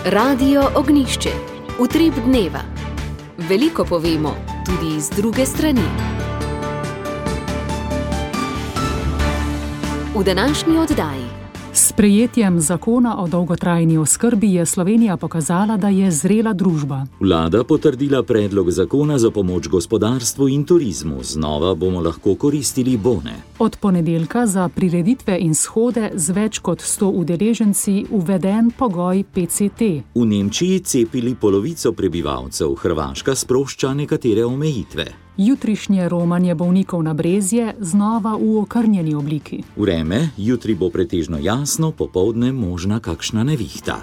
Radio Ognišče, utrip dneva. Veliko povemo, tudi iz druge strani. V današnji oddaji. S sprejetjem zakona o dolgotrajni oskrbi je Slovenija pokazala, da je zrela družba. Vlada potrdila predlog zakona za pomoč gospodarstvu in turizmu. Znova bomo lahko koristili bone. Od ponedeljka za prireditve in shode z več kot 100 udeleženci uveden pogoj PCT. V Nemčiji cepili polovico prebivalcev, Hrvaška sprošča nekatere omejitve. Jutrišnje romanje bolnikov na Brezje znova v okrnjeni obliki. Vreme, jutri bo pretežno jasno, popoldne možna kakšna nevihta.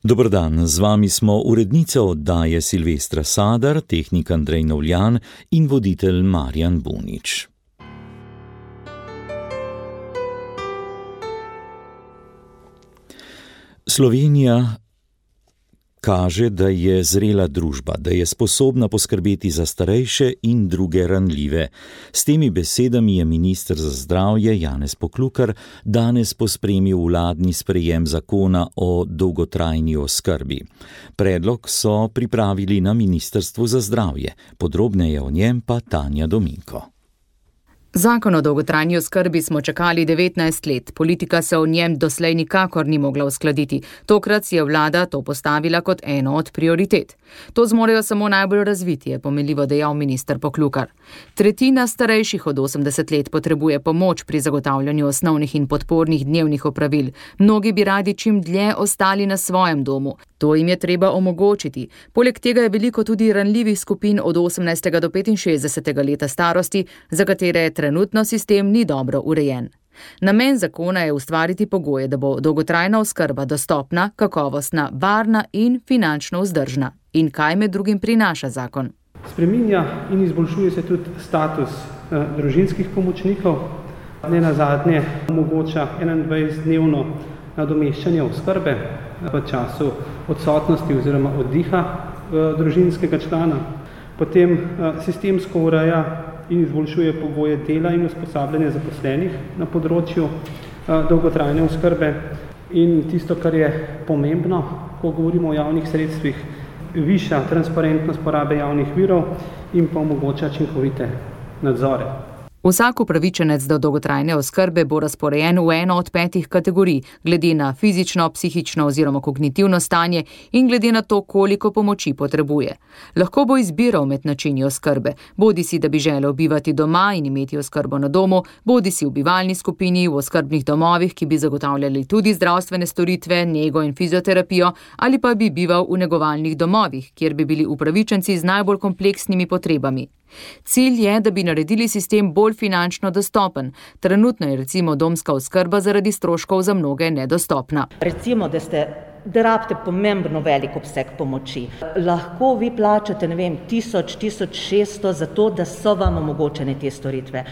Dober dan, z vami smo urednica oddaje Silvestra Sadar, tehnik Andrej Novljan in voditelj Marjan Bunič. Slovenija kaže, da je zrela družba, da je sposobna poskrbeti za starejše in druge ranljive. S temi besedami je minister za zdravje Janez Poklukar danes pospremil vladni sprejem zakona o dolgotrajni oskrbi. Predlog so pripravili na Ministrstvu za zdravje. Podrobneje o njem pa Tanja Dominko. Zakon o dolgotrajni oskrbi smo čakali 19 let. Politika se o njem doslej nikakor ni mogla uskladiti. Tokrat si je vlada to postavila kot eno od prioritet. To zmorejo samo najbolj razviti, je pomenljivo dejal minister Poklukar. Tretjina starejših od 80 let potrebuje pomoč pri zagotavljanju osnovnih in podpornih dnevnih opravil. Mnogi bi radi čim dlje ostali na svojem domu. To jim je treba omogočiti. Poleg tega je veliko tudi ranljivih skupin od 18. do 65. leta starosti, za katere trenutno sistem ni dobro urejen. Namen zakona je ustvariti pogoje, da bo dolgotrajna oskrba dostopna, kakovostna, varna in finančno vzdržna. In kaj med drugim prinaša zakon? Spreminja in izboljšuje se tudi status družinskih pomočnikov. Nenazadnje omogoča 21-dnevno nadomeščanje oskrbe v času odsotnosti oziroma oddiha družinskega člana. Potem sistemsko ureja in izboljšuje pogoje dela in usposabljanja zaposlenih na področju dolgotrajne oskrbe. In tisto, kar je pomembno, ko govorimo o javnih sredstvih, viša transparentnost porabe javnih virov in pa omogoča učinkovite nadzore. Vsak upravičenec do dolgotrajne oskrbe bo razporejen v eno od 5 kategorij, glede na fizično, psihično oziroma kognitivno stanje in glede na to, koliko pomoči potrebuje. Lahko bo izbiral med načini oskrbe, bodisi da bi želel bivati doma in imeti oskrbo na domu, bodisi v bivalni skupini, v oskrbnih domovih, ki bi zagotavljali tudi zdravstvene storitve, nego in fizioterapijo, ali pa bi bival v negovalnih domovih, kjer bi bili upravičenci z najbolj kompleksnimi potrebami. Cilj je, da bi naredili sistem bolj finančno dostopen. Trenutno je recimo domska oskrba zaradi stroškov za mnoge nedostopna. Recimo, da rabite pomembno velik obseg pomoči. Lahko vi plačate, 1000–1600 za to, da so vam omogočene te storitve.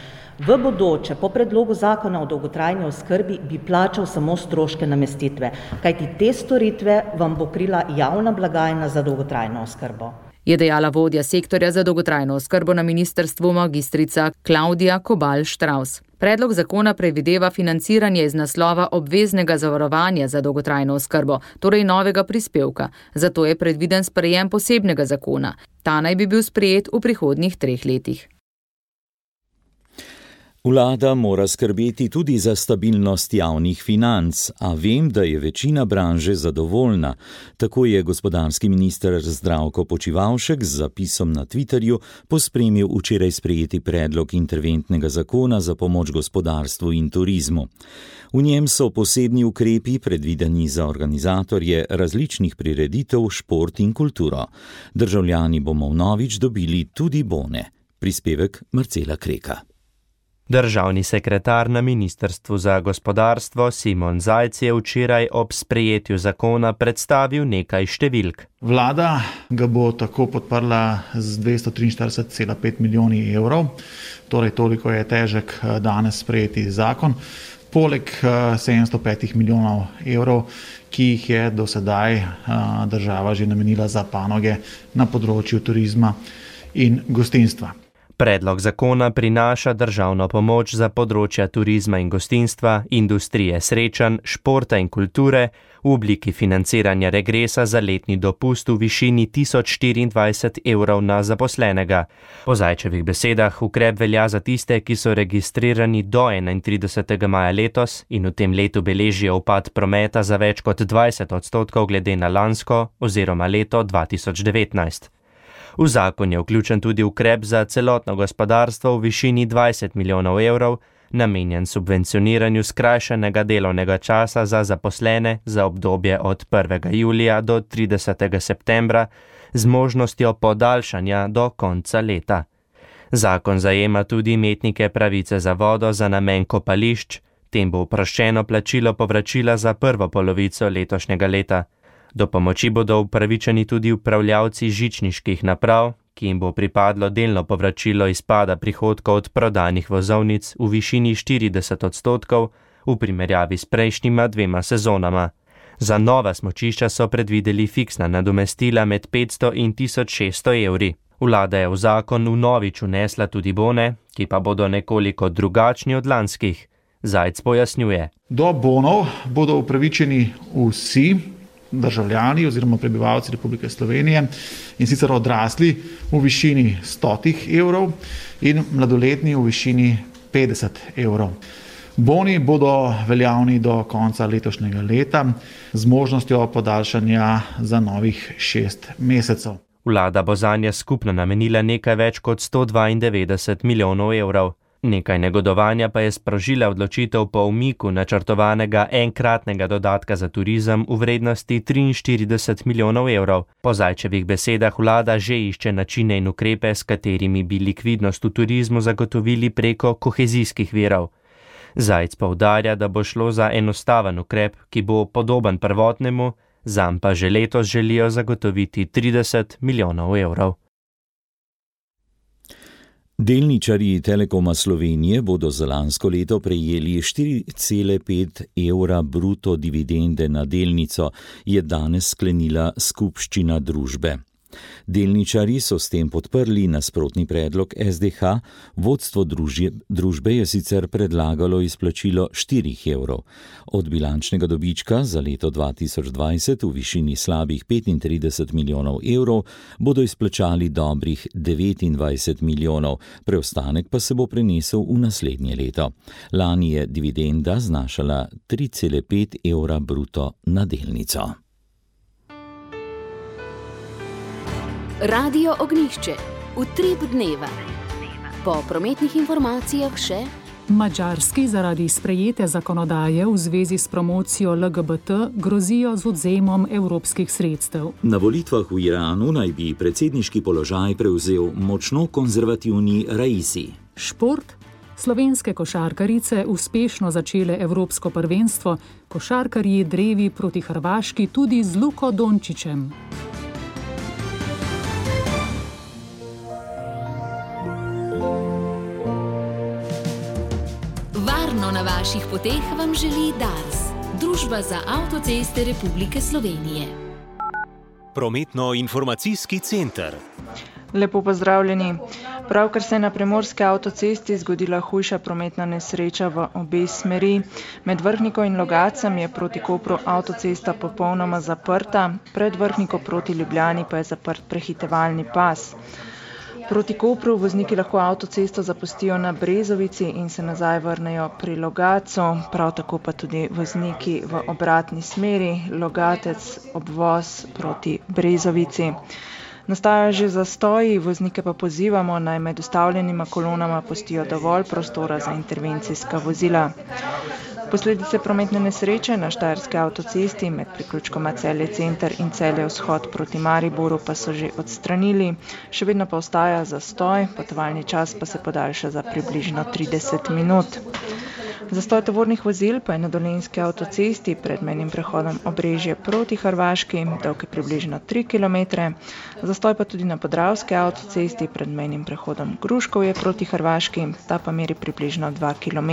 V bodoče, po predlogu zakona o dolgotrajni oskrbi, bi plačal samo stroške namestitve, kajti te storitve vam bo krila javna blagajna za dolgotrajno oskrbo. Je dejala vodja sektorja za dolgotrajno oskrbo na ministrstvu magistrica Klaudija Kobal-Štravs. Predlog zakona predvideva financiranje iz naslova obveznega zavarovanja za dolgotrajno oskrbo, torej novega prispevka. Zato je predviden sprejem posebnega zakona. Ta naj bi bil sprejet v prihodnjih 3 letih. Vlada mora skrbeti tudi za stabilnost javnih financ, a vem, da je večina branže zadovoljna. Tako je gospodarski minister Zdravko Počivalšek z zapisom na Twitterju pospremil včeraj sprejeti predlog interventnega zakona za pomoč gospodarstvu in turizmu. V njem so posebni ukrepi predvideni za organizatorje različnih prireditev, šport in kulturo. Državljani bomo vnovič dobili tudi bone. Prispevek Marcela Kreka. Državni sekretar na Ministrstvu za gospodarstvo Simon Zajc je včeraj ob sprejetju zakona predstavil nekaj številk. Vlada ga bo tako podprla z 243,5 milijoni evrov, torej toliko je težek danes sprejeti zakon, poleg 705 milijonov evrov, ki jih je do sedaj država že namenila za panoge na področju turizma in gostinstva. Predlog zakona prinaša državno pomoč za področja turizma in gostinstva, industrije srečanj, športa in kulture v obliki financiranja regresa za letni dopust v višini 1024 evrov na zaposlenega. Po Zajčevih besedah ukrep velja za tiste, ki so registrirani do 31. maja letos in v tem letu beležijo upad prometa za več kot 20% glede na lansko oziroma leto 2019. V zakon je vključen tudi ukrep za celotno gospodarstvo v višini 20 milijonov evrov, namenjen subvencioniranju skrajšanega delovnega časa za zaposlene za obdobje od 1. julija do 30. septembra z možnostjo podaljšanja do konca leta. Zakon zajema tudi imetnike pravice za vodo za namen kopališč, tem bo oproščeno plačilo povračila za prvo polovico letošnjega leta. Do pomoči bodo upravičeni tudi upravljavci žičniških naprav, ki jim bo pripadlo delno povračilo izpada prihodkov od prodanih vozovnic v višini 40% v primerjavi s prejšnjima 2 sezonama. Za nova smučišča so predvideli fiksna nadomestila med 500 in 1600 evri. Vlada je v zakon vnovič vnesla tudi bone, ki pa bodo nekoliko drugačni od lanskih. Zajc pojasnjuje. Do bonov bodo upravičeni vsi državljani oziroma prebivalci Republike Slovenije, in sicer odrasli v višini 100 evrov in mladoletni v višini 50 evrov. Boni bodo veljavni do konca letošnjega leta z možnostjo podaljšanja za novih 6 mesecev. Vlada bo zanje skupno namenila nekaj več kot 192 milijonov evrov. Nekaj negodovanja pa je sprožila odločitev po umiku načrtovanega enkratnega dodatka za turizem v vrednosti 43 milijonov evrov. Po Zajčevih besedah vlada že išče načine in ukrepe, s katerimi bi likvidnost v turizmu zagotovili preko kohezijskih virov. Zajc poudarja, da bo šlo za enostaven ukrep, ki bo podoben prvotnemu, zanj pa že letos želijo zagotoviti 30 milijonov evrov. Delničarji Telekoma Slovenije bodo za lansko leto prejeli 4,5 evra bruto dividende na delnico, je danes sklenila skupščina družbe. Delničarji so s tem podprli nasprotni predlog SDH, vodstvo družbe je sicer predlagalo izplačilo 4 evrov. Od bilančnega dobička za leto 2020 v višini slabih 35 milijonov evrov bodo izplačali dobrih 29 milijonov, preostanek pa se bo prenesel v naslednje leto. Lani je dividenda znašala 3,5 evra bruto na delnico. Radio Ognjišče, utrip dneva. Po prometnih informacijah še Madžarski zaradi sprejete zakonodaje v zvezi s promocijo LGBT grozijo z odvzemom evropskih sredstev. Na volitvah v Iranu naj bi predsedniški položaj prevzel močno konzervativni Raisi. Šport. Slovenske košarkarice uspešno začele evropsko prvenstvo, košarkarji drevi proti Hrvaški tudi z Luko Dončićem. Na vaših poteh vam želi DARS, Družba za avtoceste Republike Slovenije. Prometno-informacijski center. Lepo pozdravljeni. Pravkar se je na primorski avtocesti zgodila hujša prometna nesreča v obe smeri. Med Vrhniko in Logacem je proti Kopru avtocesta popolnoma zaprta, pred Vrhniko proti Ljubljani pa je zaprt prehitevalni pas. Proti Kopru vozniki lahko avtocesto zapustijo na Brezovici in se nazaj vrnejo pri Logatcu, prav tako pa tudi vozniki v obratni smeri, Logatec, obvoz proti Brezovici. Nastajajo že zastoji, voznike pa pozivamo, naj med ustavljenima kolonama pustijo dovolj prostora za intervencijska vozila. Posledice prometne nesreče na Štajerski avtocesti med priključkoma Celje Center in Celje Vzhod proti Mariboru pa so že odstranili, še vedno pa ostaja zastoj, potovalni čas pa se podaljša za približno 30 minut. Zastoj tovornih vozil pa je na Dolenjski avtocesti pred mejnim prehodom Obrežje proti Hrvaški, dolg je približno 3 km, zastoj pa tudi na Podravski avtocesti pred mejnim prehodom Gruškovje proti Hrvaški, ta pa meri približno 2 km.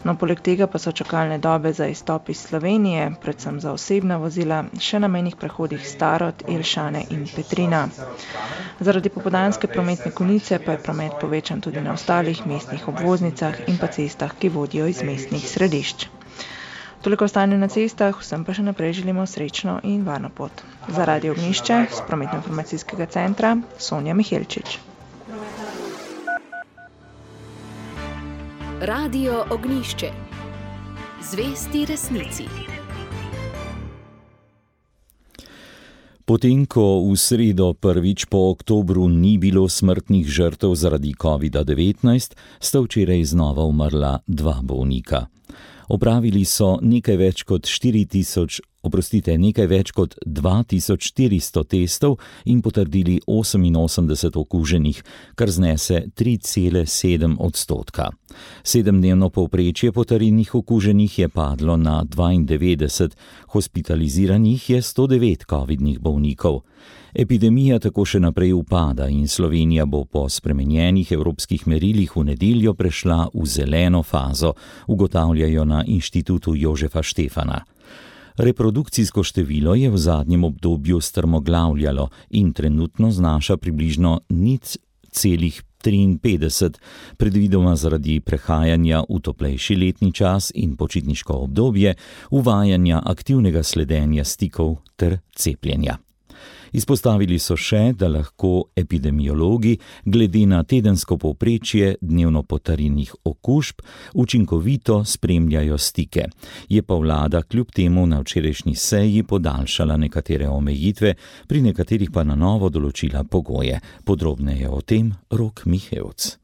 No, poleg tega pa so čakalne dobe za izstop iz Slovenije, predvsem za osebna vozila, še na mejnih prehodih Starod, Jelšane in Petrina. Zaradi popoldanske prometne konice pa je promet povečan tudi na ostalih mestnih obvoznicah in pa cestah, ki vodijo iz mestnih središč. Toliko o stanju na cestah, vsem pa še naprej želimo srečno in varno pot. Za Radio Ognjišče z Prometno-informacijskega centra Sonja Mihelčič. Radio Ognjišče. Zvesti resnici. Potem, ko v sredo prvič po oktobru ni bilo smrtnih žrtev zaradi COVID-19, sta včeraj znova umrla 2 bolnika. Opravili so nekaj več kot 2400 testov in potrdili 88 okuženih, kar znese 3,7%. 7-dnevno povprečje potrjenih okuženih je padlo na 92, hospitaliziranih je 109 covidnih bolnikov. Epidemija tako še naprej upada in Slovenija bo po spremenjenih evropskih merilih v nedeljo prešla v zeleno fazo, ugotavljajo na Inštitutu Jožefa Štefana. Reprodukcijsko število je v zadnjem obdobju strmoglavljalo in trenutno znaša približno 0,53, predvidoma zaradi prehajanja v toplejši letni čas in počitniško obdobje, uvajanja aktivnega sledenja stikov ter cepljenja. Izpostavili so še, da lahko epidemiologi glede na tedensko povprečje dnevno potrjenih okužb učinkovito spremljajo stike. Je pa vlada kljub temu na včerajšnji seji podaljšala nekatere omejitve, pri nekaterih pa na novo določila pogoje. Podrobneje o tem Rok Mihevc.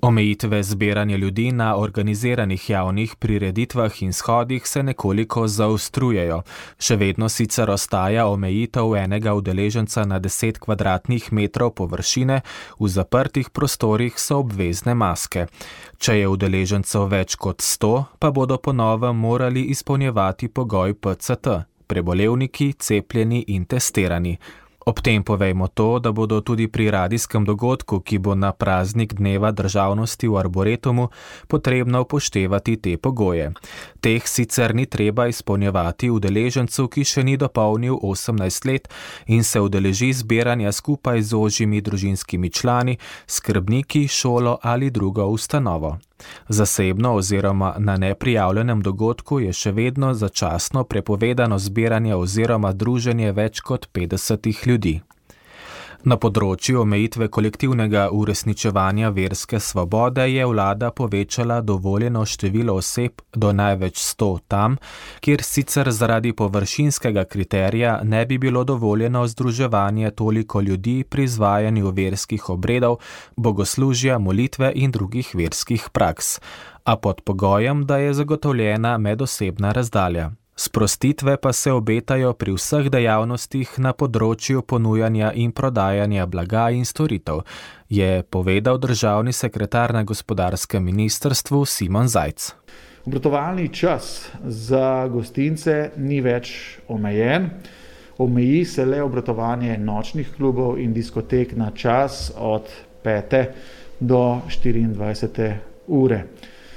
Omejitve zbiranja ljudi na organiziranih javnih prireditvah in shodih se nekoliko zaostrujejo. Še vedno sicer ostaja omejitev enega udeleženca na 10 kvadratnih metrov površine, v zaprtih prostorih so obvezne maske. Če je udeležencev več kot 100, pa bodo po novem morali izpolnjevati pogoj PCT, prebolevniki, cepljeni in testirani. Ob tem povejmo to, da bodo tudi pri radijskem dogodku, ki bo na praznik Dneva državnosti v Arboretumu, potrebno upoštevati te pogoje. Teh sicer ni treba izpolnjevati udeležencu, ki še ni dopolnil 18 let in se udeleži zbiranja skupaj z ožjimi družinskimi člani, skrbniki, šolo ali drugo ustanovo. Zasebno oziroma na neprijavljenem dogodku je še vedno začasno prepovedano zbiranje oziroma druženje več kot 50 ljudi. Na področju omejitve kolektivnega uresničevanja verske svobode je vlada povečala dovoljeno število oseb do največ 100 tam, kjer sicer zaradi površinskega kriterija ne bi bilo dovoljeno združevanje toliko ljudi pri izvajanju verskih obredov, bogoslužja, molitve in drugih verskih praks, a pod pogojem, da je zagotovljena medosebna razdalja. Sprostitve pa se obetajo pri vseh dejavnostih na področju ponujanja in prodajanja blaga in storitev, je povedal državni sekretar na gospodarskem ministrstvu Simon Zajc. Obratovalni čas za gostince ni več omejen. Omeji se le obratovanje nočnih klubov in diskotek na čas od 5. do 24. ure.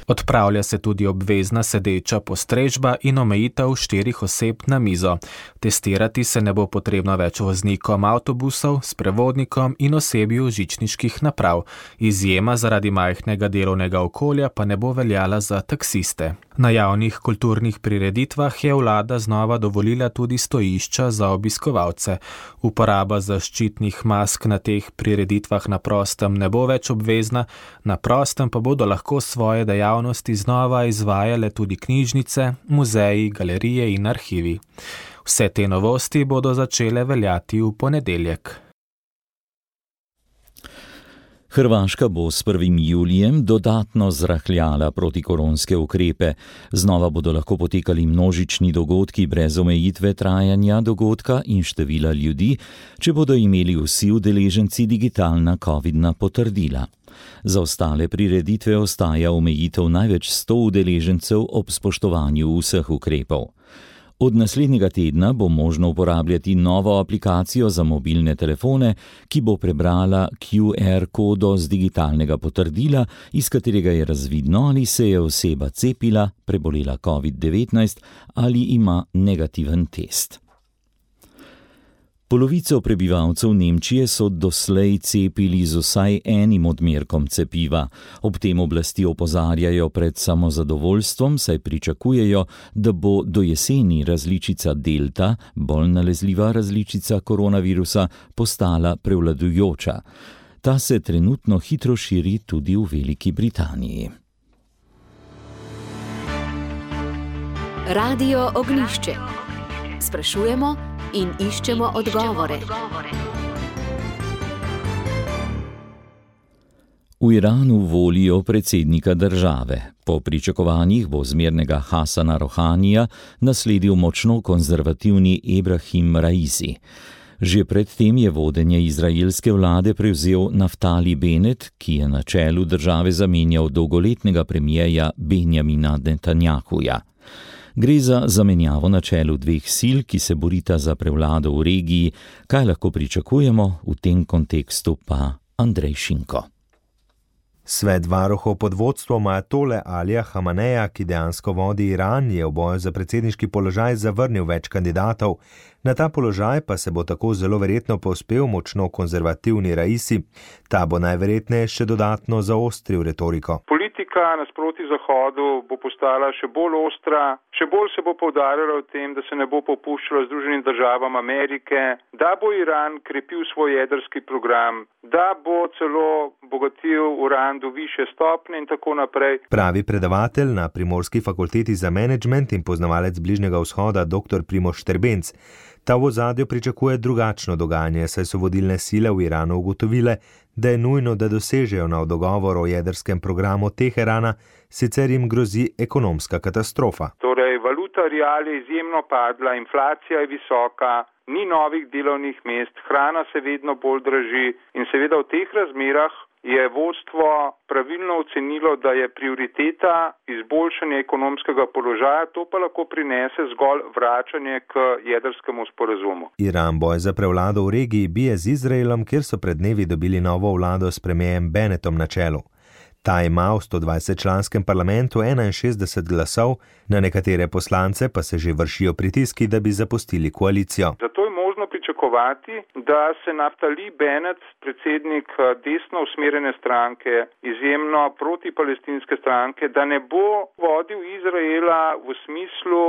Odpravlja se tudi obvezna sedeča postrežba in omejitev 4 oseb na mizo. Testirati se ne bo potrebno več voznikom avtobusov, sprevodnikom in osebju žičniških naprav. Izjema zaradi majhnega delovnega okolja pa ne bo veljala za taksiste. Na javnih kulturnih prireditvah je vlada znova dovolila tudi stojišča za obiskovalce. Uporaba zaščitnih mask na teh prireditvah na prostem ne bo več obvezna, na prostem pa bodo lahko svoje dejavnosti znova izvajale tudi knjižnice, muzeji, galerije in arhivi. Vse te novosti bodo začele veljati v ponedeljek. Hrvaška bo s 1. julijem dodatno zrahljala protikoronske ukrepe. Znova bodo lahko potekali množični dogodki brez omejitve trajanja dogodka in števila ljudi, če bodo imeli vsi udeleženci digitalna covidna potrdila. Za ostale prireditve ostaja omejitev največ 100 udeležencev ob spoštovanju vseh ukrepov. Od naslednjega tedna bo možno uporabljati novo aplikacijo za mobilne telefone, ki bo prebrala QR kodo z digitalnega potrdila, iz katerega je razvidno, ali se je oseba cepila, prebolela COVID-19 ali ima negativen test. Polovico prebivalcev Nemčije so doslej cepili z vsaj enim odmerkom cepiva. Ob tem oblasti opozarjajo pred samozadovoljstvom, saj pričakujejo, da bo do jeseni različica Delta, bolj nalezljiva različica koronavirusa, postala prevladujoča. Ta se trenutno hitro širi tudi v Veliki Britaniji. Radio Ognjišče. Sprašujemo in iščemo odgovore. V Iranu volijo predsednika države. Po pričakovanjih bo zmernega Hasana Rohanija nasledil močno konzervativni Ebrahim Raisi. Že predtem je vodenje izraelske vlade prevzel Naftali Bennett, ki je na čelu države zamenjal dolgoletnega premierja Benjamina Netanjahuja. Gre za zamenjavo na čelu dveh sil, ki se borita za prevlado v regiji. Kaj lahko pričakujemo, v tem kontekstu pa Andrej Šinko. Svet varuhov pod vodstvom ajatole Alija Hameneja, ki dejansko vodi Iran, je v boju za predsedniški položaj zavrnil več kandidatov. Na ta položaj pa se bo tako zelo verjetno povzpel močno konzervativni Raisi. Ta bo najverjetneje še dodatno zaostril retoriko. Politika nasproti Zahodu bo postala še bolj ostra, še bolj se bo poudarjalo o tem, da se ne bo popuščalo Združenim državam Amerike, da bo Iran krepil svoj jedrski program, da bo celo bogatil uran do višje stopnje in tako naprej. Pravi predavatelj na Primorski fakulteti za menedžment in poznavalec Bližnjega vzhoda dr. Primož Štrbenc. Ta v ozadju pričakuje drugačno dogajanje, saj so vodilne sile v Iranu ugotovile, da je nujno, da dosežejo nov dogovor o jedrskem programu Teherana, sicer jim grozi ekonomska katastrofa. Torej, valuta rial je izjemno padla, inflacija je visoka, ni novih delovnih mest, hrana se vedno bolj draži in seveda v teh razmerah je vodstvo pravilno ocenilo, da je prioriteta izboljšanje ekonomskega položaja, to pa lahko prinese zgolj vračanje k jedrskemu sporazumu. Iran boj za prevlado v regiji bije z Izraelom, kjer so pred dnevi dobili novo vlado s premierjem Bennettom na čelu. Ta ima v 120-članskem parlamentu 61 glasov, na nekatere poslance pa se že vršijo pritiski, da bi zapustili koalicijo. Zato je možno pričakovati, da se Naftali Bennett, predsednik desno usmerjene stranke, izjemno protipalestinske stranke, da ne bo vodil Izraela v smislu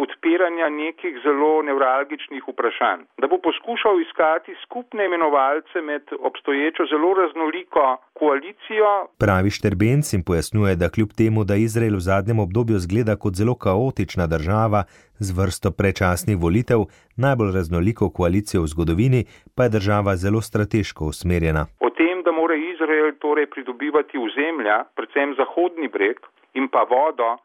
odpiranja nekih zelo nevralgičnih vprašanj. Da bo poskušal iskati skupne imenovalce med obstoječo zelo raznoliko koalicijo. Pravi Štrbenc in pojasnjuje, da kljub temu, da Izrael v zadnjem obdobju zgleda kot zelo kaotična država z vrsto predčasnih volitev, najbolj raznoliko koalicijo v zgodovini, pa je država zelo strateško usmerjena. O tem, da mora Izrael pridobivati ozemlja, predvsem Zahodni breg in pa vodo,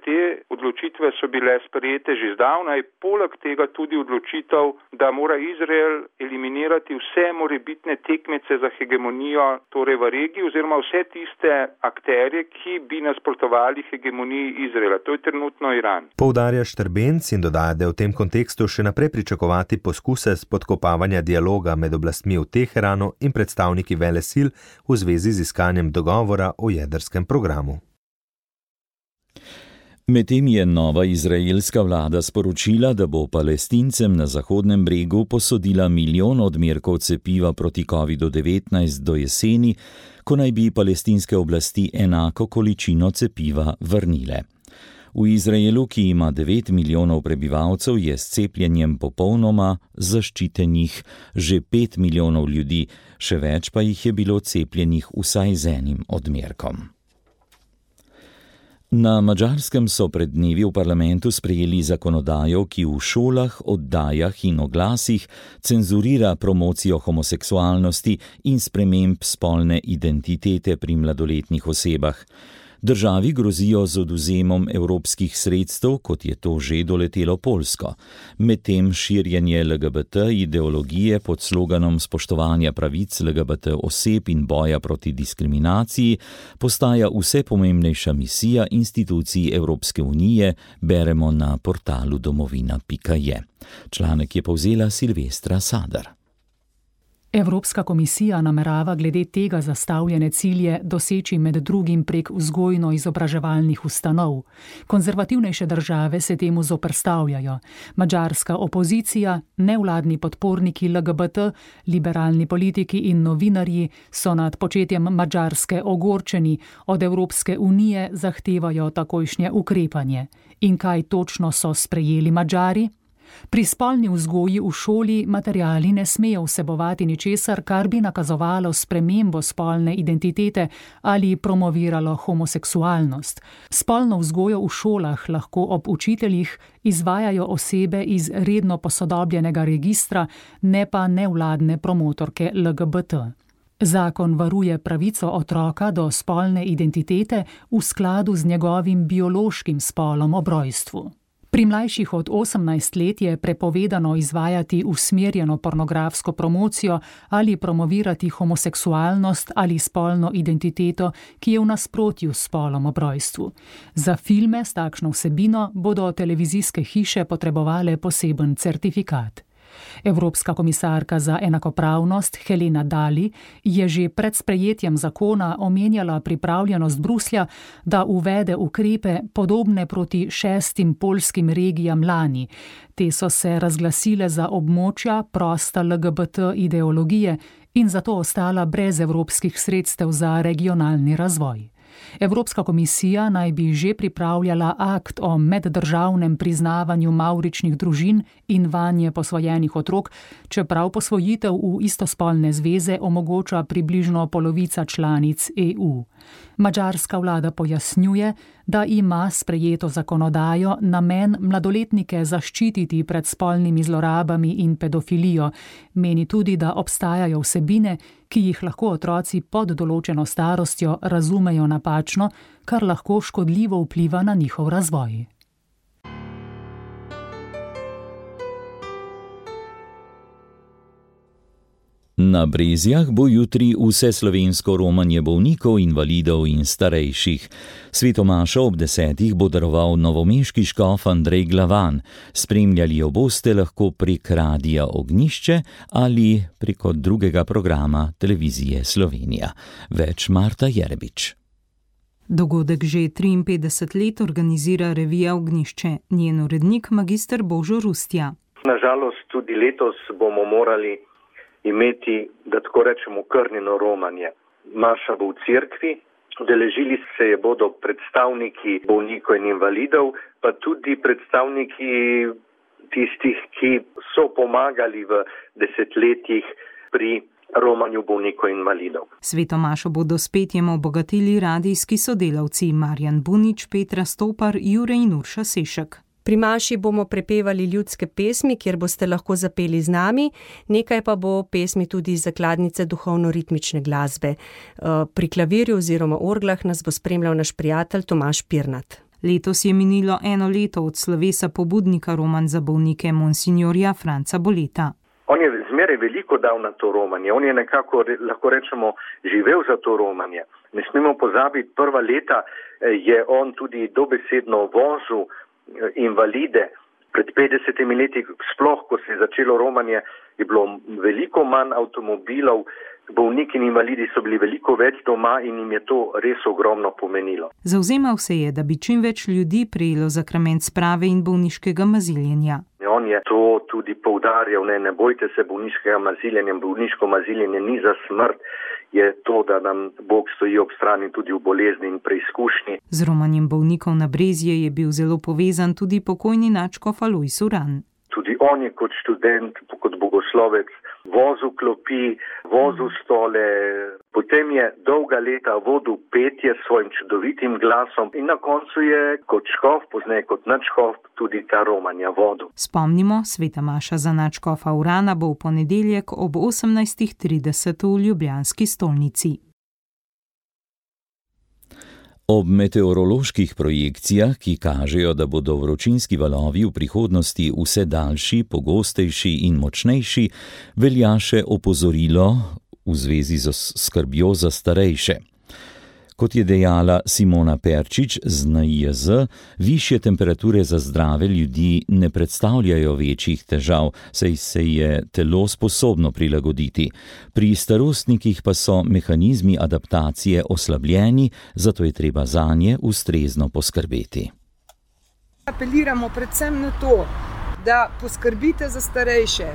te odločitve so bile sprejete že zdavnaj, poleg tega tudi odločitev, da mora Izrael eliminirati vse morebitne tekmece za hegemonijo v regiji oziroma vse tiste akterje, ki bi nasprotovali hegemoniji Izraela. To je trenutno Iran. Poudarja Štrbenc in dodaja, da je v tem kontekstu še naprej pričakovati poskuse spodkopavanja dialoga med oblastmi v Teheranu in predstavniki velesil v zvezi z iskanjem dogovora o jedrskem programu. Medtem je nova izraelska vlada sporočila, da bo Palestincem na Zahodnem bregu posodila 1 milijon odmerkov cepiva proti COVID-19 do jeseni, ko naj bi palestinske oblasti enako količino cepiva vrnile. V Izraelu, ki ima 9 milijonov prebivalcev, je s cepljenjem popolnoma zaščitenih že 5 milijonov ljudi, še več pa jih je bilo cepljenih vsaj z enim odmerkom. Na Madžarskem so pred dnevi v parlamentu sprejeli zakonodajo, ki v šolah, oddajah in oglasih cenzurira promocijo homoseksualnosti in sprememb spolne identitete pri mladoletnih osebah. Državi grozijo z odvzemom evropskih sredstev, kot je to že doletelo Poljsko. Medtem širjenje LGBT ideologije pod sloganom spoštovanja pravic LGBT oseb in boja proti diskriminaciji postaja vse pomembnejša misija institucij Evropske unije, beremo na portalu domovina.je. Članek je povzela Silvestra Sadar. Evropska komisija namerava glede tega zastavljene cilje doseči med drugim prek vzgojno-izobraževalnih ustanov. Konzervativnejše države se temu zoperstavljajo. Madžarska opozicija, nevladni podporniki LGBT, liberalni politiki in novinarji so nad početjem Madžarske ogorčeni, od Evropske unije zahtevajo takojšnje ukrepanje. In kaj točno so sprejeli Madžari? Pri spolni vzgoji v šoli materiali ne smejo vsebovati ničesar, kar bi nakazovalo spremembo spolne identitete ali promoviralo homoseksualnost. Spolno vzgojo v šolah lahko ob učiteljih izvajajo osebe iz redno posodobljenega registra, ne pa nevladne promotorke LGBT. Zakon varuje pravico otroka do spolne identitete v skladu z njegovim biološkim spolom ob rojstvu. Pri mlajših od 18 let je prepovedano izvajati usmerjeno pornografsko promocijo ali promovirati homoseksualnost ali spolno identiteto, ki je v nasprotju s spolom ob rojstvu. Za filme s takšno vsebino bodo televizijske hiše potrebovale poseben certifikat. Evropska komisarka za enakopravnost Helena Dalli je že pred sprejetjem zakona omenjala pripravljenost Bruslja, da uvede ukrepe podobne proti 6 poljskim regijam lani. Te so se razglasile za območja prosta LGBT ideologije in zato ostala brez evropskih sredstev za regionalni razvoj. Evropska komisija naj bi že pripravljala akt o meddržavnem priznavanju mavričnih družin in vanje posvojenih otrok, čeprav posvojitev v istospolne zveze omogoča približno polovica članic EU. Madžarska vlada pojasnjuje, da ima sprejeto zakonodajo namen mladoletnike zaščititi pred spolnimi zlorabami in pedofilijo. Meni tudi, da obstajajo vsebine, ki jih lahko otroci pod določeno starostjo razumejo napačno, kar lahko škodljivo vpliva na njihov razvoj. Na Brezjah bo jutri vseslovensko romanje bolnikov, invalidov in starejših. Svetomašo ob 10. bo daroval novomeški škof Andrej Glavan. Spremljali jo boste lahko prek Radia Ognjišče ali preko drugega programa Televizije Slovenija. Več Marta Jerebič. Dogodek že 53 let organizira revija Ognjišče, njen urednik magister Božo Rustja. Nažalost tudi letos bomo morali imeti, da tako rečemo, krnjeno romanje. Maša bo v cerkvi, udeležili se je bodo predstavniki bolnikov in invalidov, pa tudi predstavniki tistih, ki so pomagali v desetletjih pri romanju bolnikov in invalidov. Svetomašo bodo s petjem obogatili radijski sodelavci Marjan Bunič, Petra Stopar, Jure in Urša Sešek. Pri maši bomo prepevali ljudske pesmi, kjer boste lahko zapeli z nami, nekaj pa bo pesmi tudi iz zakladnice duhovno-ritmične glasbe. Pri klavirju oziroma orglah nas bo spremljal naš prijatelj Tomaž Pirnat. Letos je minilo 1 leto od slovesa pobudnika romanj za bolnike monsignorja Franca Boleta. On je zmeraj veliko dal na to romanje, on je nekako, lahko rečemo, živel za to romanje. Ne smemo pozabiti, prva leta je on tudi dobesedno vozil invalide. Pred 50 leti, sploh ko se je začelo romanje, je bilo veliko manj avtomobilov, bolniki in invalidi so bili veliko več doma in jim je to res ogromno pomenilo. Zavzemal se je, da bi čim več ljudi prejelo zakrament sprave in bolniškega maziljenja. On je to tudi poudarjal, ne bojte se bolniškega maziljenja, bolniško maziljenje ni za smrt, je to, da nam Bog stoji ob strani tudi v bolezni in preizkušnji. Z romanjem bolnikov na Brezje je bil zelo povezan tudi pokojni nadškof Alojz Uran. Tudi on je kot študent, kot bogoslovec vozil klopi, vozil stole, potem je dolga leta vodil petje s svojim čudovitim glasom in na koncu je kot škof, pozneje kot nadškof, tudi ta romanja vodil. Spomnimo, sveta maša za nadškofa Urana bo v ponedeljek ob 18:30 v ljubljanski stolnici. Ob meteoroloških projekcijah, ki kažejo, da bodo vročinski valovi v prihodnosti vse daljši, pogostejši in močnejši, velja še opozorilo v zvezi z skrbjo za starejše. Kot je dejala Simona Perčič z NIJZ, višje temperature za zdrave ljudi ne predstavljajo večjih težav, saj se je telo sposobno prilagoditi. Pri starostnikih pa so mehanizmi adaptacije oslabljeni, zato je treba zanje ustrezno poskrbeti. Apeliramo predvsem na to, da poskrbite za starejše.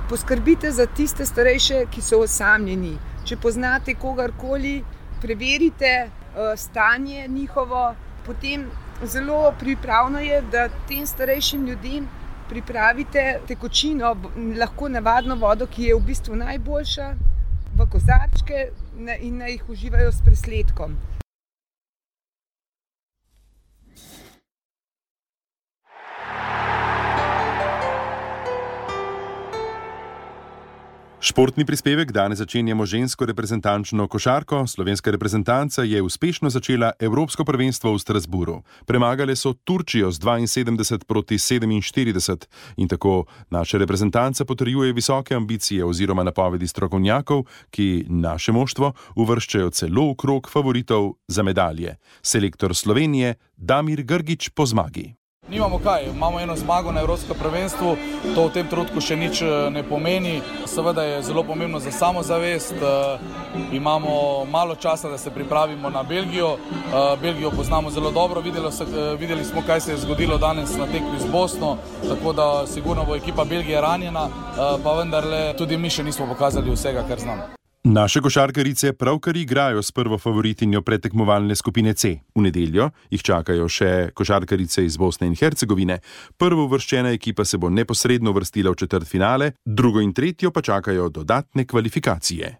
Poskrbite za tiste starejše, ki so osamljeni. Če poznate kogarkoli, preverite stanje njihovo, potem zelo pripravno je, da tem starejšim ljudem pripravite tekočino, lahko navadno vodo, ki je v bistvu najboljša, v kozarčke in naj jih uživajo s presledkom. Športni prispevek danes začenjamo žensko reprezentančno košarko. Slovenska reprezentanca je uspešno začela Evropsko prvenstvo v Strasburu. Premagale so Turčijo z 72-47 in tako naša reprezentanca potrjuje visoke ambicije oziroma napovedi strokovnjakov, ki naše moštvo uvrščajo celo v krog favoritov za medalje. Selektor Slovenije Damir Grgić po zmagi. Nimamo kaj, imamo eno zmago na Evropskem prvenstvu, to v tem trenutku še nič ne pomeni. Seveda je zelo pomembno za samozavest, imamo malo časa, da se pripravimo na Belgijo. Belgijo poznamo zelo dobro, videli smo, kaj se je zgodilo danes na tekmi z Bosno, tako da sigurno bo ekipa Belgije ranjena, pa vendarle tudi mi še nismo pokazali vsega, kar znamo. Naše košarkarice pravkar igrajo s prvo favoritinjo predtekmovalne skupine C. V nedeljo jih čakajo še košarkarice iz Bosne in Hercegovine. Prvo uvrščena ekipa se bo neposredno uvrstila v četrtfinale, drugo in tretjo pa čakajo dodatne kvalifikacije.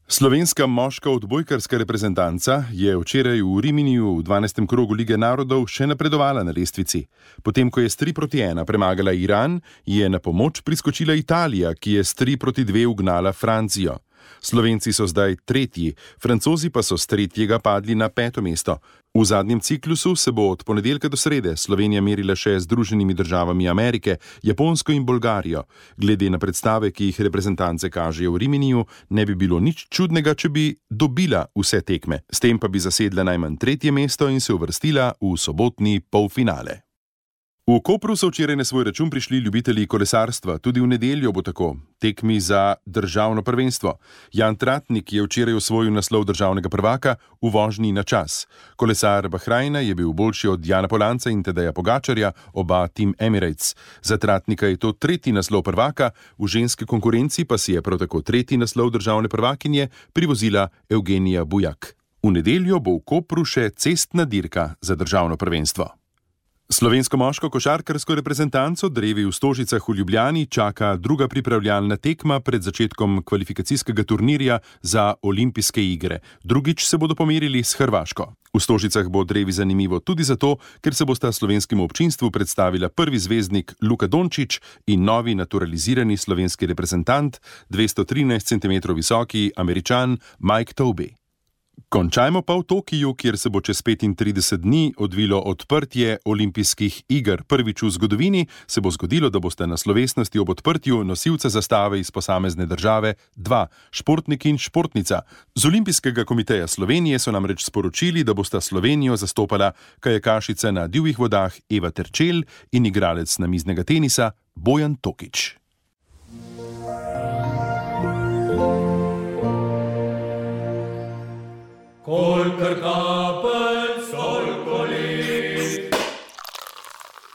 Slovenska moška odbojkarska reprezentanca je včeraj v Riminiju v 12. krogu Lige narodov še napredovala na lestvici. Potem, ko je s 3-1 premagala Iran, je na pomoč priskočila Italija, ki je s 3-2 ugnala Francijo. Slovenci so zdaj tretji, Francozi pa so s tretjega padli na 5. mesto. V zadnjem ciklusu se bo od ponedeljka do srede Slovenija merila še z Združenimi državami Amerike, Japonsko in Bolgarijo. Glede na predstave, ki jih reprezentance kažejo v Riminiju, ne bi bilo nič čudnega, če bi dobila vse tekme. S tem pa bi zasedla najmanj 3. mesto in se uvrstila v sobotni polfinale. V Kopru so včeraj na svoj račun prišli ljubitelji kolesarstva, tudi v nedeljo bo tako, tekmi za državno prvenstvo. Jan Tratnik je včeraj osvojil naslov državnega prvaka v vožnji na čas. Kolesar Bahrajna je bil boljši od Jana Polanca in Tadeja Pogačarja, oba Team Emirates. Za Tratnika je to 3. naslov prvaka, v ženski konkurenci pa si je prav tako 3. naslov državne prvakinje privozila Evgenija Bujak. V nedeljo bo v Kopru še cestna dirka za državno prvenstvo. Slovensko moško košarkarsko reprezentanco drevi v Stožicah v Ljubljani čaka druga pripravljalna tekma pred začetkom kvalifikacijskega turnirja za olimpijske igre. Drugič se bodo pomerili s Hrvaško. V Stožicah bo drevi zanimivo tudi zato, ker se bosta slovenskemu občinstvu predstavila prvi zvezdnik Luka Dončić in novi naturalizirani slovenski reprezentant, 213 cm visoki Američan Mike Tobey. Končajmo pa v Tokiju, kjer se bo čez 35 dni odvilo odprtje olimpijskih iger. Prvič v zgodovini se bo zgodilo, da boste na slovesnosti ob odprtju nosilca zastave iz posamezne države dva, športnik in športnica. Z Olimpijskega komiteja Slovenije so namreč sporočili, da bosta Slovenijo zastopala kajakašica na divjih vodah Eva Terčelj in igralec namiznega tenisa Bojan Tokič. Kolikor kapelj, toliko let.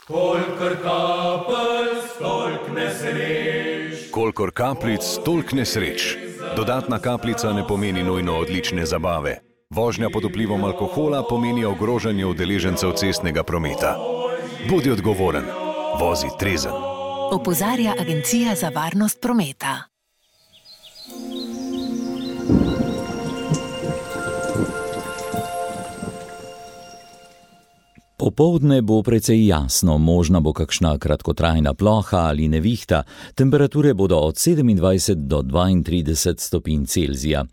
Kolikor kapelj, toliko nesreč. Kolikor kapljic, toliko nesreč. Dodatna kapljica ne pomeni nujno odlične zabave. Vožnja pod vplivom alkohola pomeni ogrožanje udeležencev cestnega prometa. Bodi odgovoren, vozi trezen. Opozarja Agencija za varnost prometa. Popoldne bo precej jasno, možna bo kakšna kratkotrajna ploha ali nevihta, temperature bodo od 27 do 32 stopinj Celzija.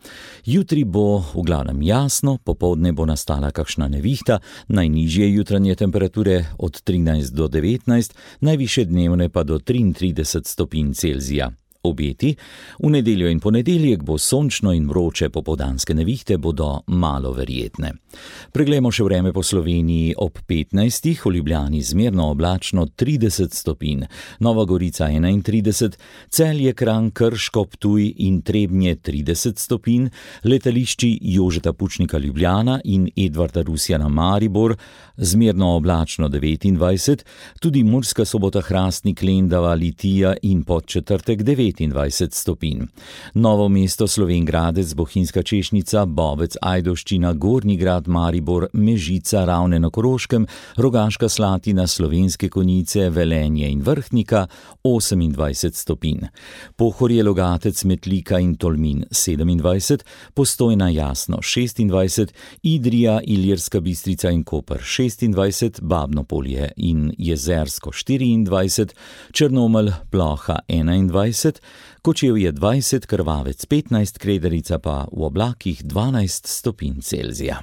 Jutri bo v glavnem jasno, popoldne bo nastala kakšna nevihta, najnižje jutranje temperature od 13 do 19, najvišje dnevne pa do 33 stopinj Celzija. Obeti, v nedeljo in ponedeljek bo sončno in vroče, popoldanske nevihte bodo malo verjetne. Preglejmo še vreme po Sloveniji ob 15, v Ljubljani zmerno oblačno 30 stopinj, Nova Gorica 31, Celje, Kranj, Krško, Ptuj in Trebnje 30 stopinj, letališči Jožeta Pučnika Ljubljana in Edvarda Rusjana Maribor zmerno oblačno 29, tudi Murska Sobota, Hrastnik, Lendava, Litija in Podčetrtek 29 stopinj. Novo mesto, Slovenj Gradec, Bohinjska Češnica, Bovec, Ajdovščina, Gornji Grad, Maribor, Mežica, Ravne na Koroškem, Rogaška Slatina, Slovenske Konjice, Velenje in Vrhnika 28 stopinj. Pohorje, Logatec, Metlika in Tolmin 27, Postojna, Jasno 26, Idrija, Ilirska Bistrica in Koper 26, Babno Polje in Jezersko 24, Črnomelj, Ploha 21, Kočevje 20, Krvavec 15, Krederica pa v oblakih 12 stopinj Celzija.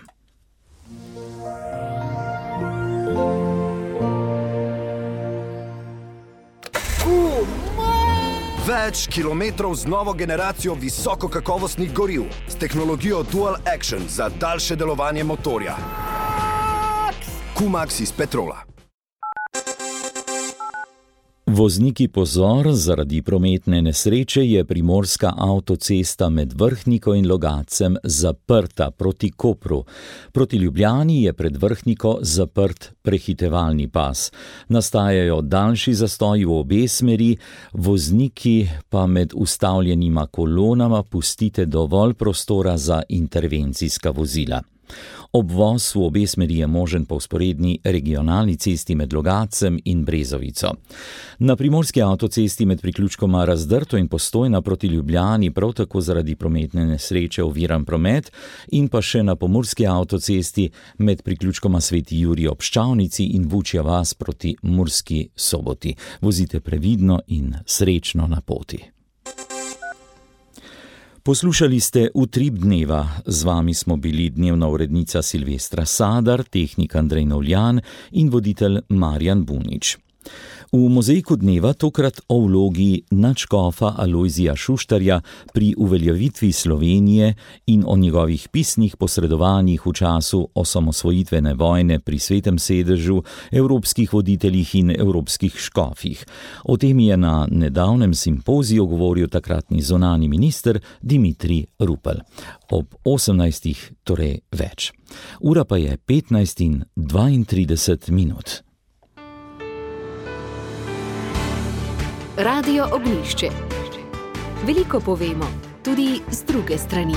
Več kilometrov z novo generacijo visokokakovostnih goriv s tehnologijo Dual Action za daljše delovanje motorja. Q-Max iz Petrola. Vozniki pozor, zaradi prometne nesreče je primorska avtocesta med Vrhniko in Logatcem zaprta proti Kopru. Proti Ljubljani je pred Vrhniko zaprt prehitevalni pas. Nastajajo daljši zastoji v obe smeri, vozniki pa med ustavljenima kolonama pustite dovolj prostora za intervencijska vozila. Obvoz v obe smeri je možen po vzporedni regionalni cesti med Logatcem in Brezovico. Na primorski avtocesti med priključkoma Razdrto in Postojna proti Ljubljani prav tako zaradi prometne nesreče oviran promet in pa še na pomurski avtocesti med priključkoma Sveti Jurij ob Ščavnici in Vučja vas proti Murski Soboti. Vozite previdno in srečno na poti. Poslušali ste Utrip dneva, z vami smo bili dnevna urednica Silvestra Sadar, tehnik Andrej Novljan in voditelj Marjan Bunič. V mozaiku dneva tokrat o vlogi nadškofa Alojzija Šuštarja pri uveljavitvi Slovenije in o njegovih pisnih posredovanjih v času osamosvojitvene vojne pri Svetem sedežu, evropskih voditeljih in evropskih škofih. O tem je na nedavnem simpoziju govoril takratni zunanji minister Dimitrij Rupel. Ob 18. torej več. Ura pa je 15:32. Radio Ognjišče. Veliko povemo, tudi z druge strani.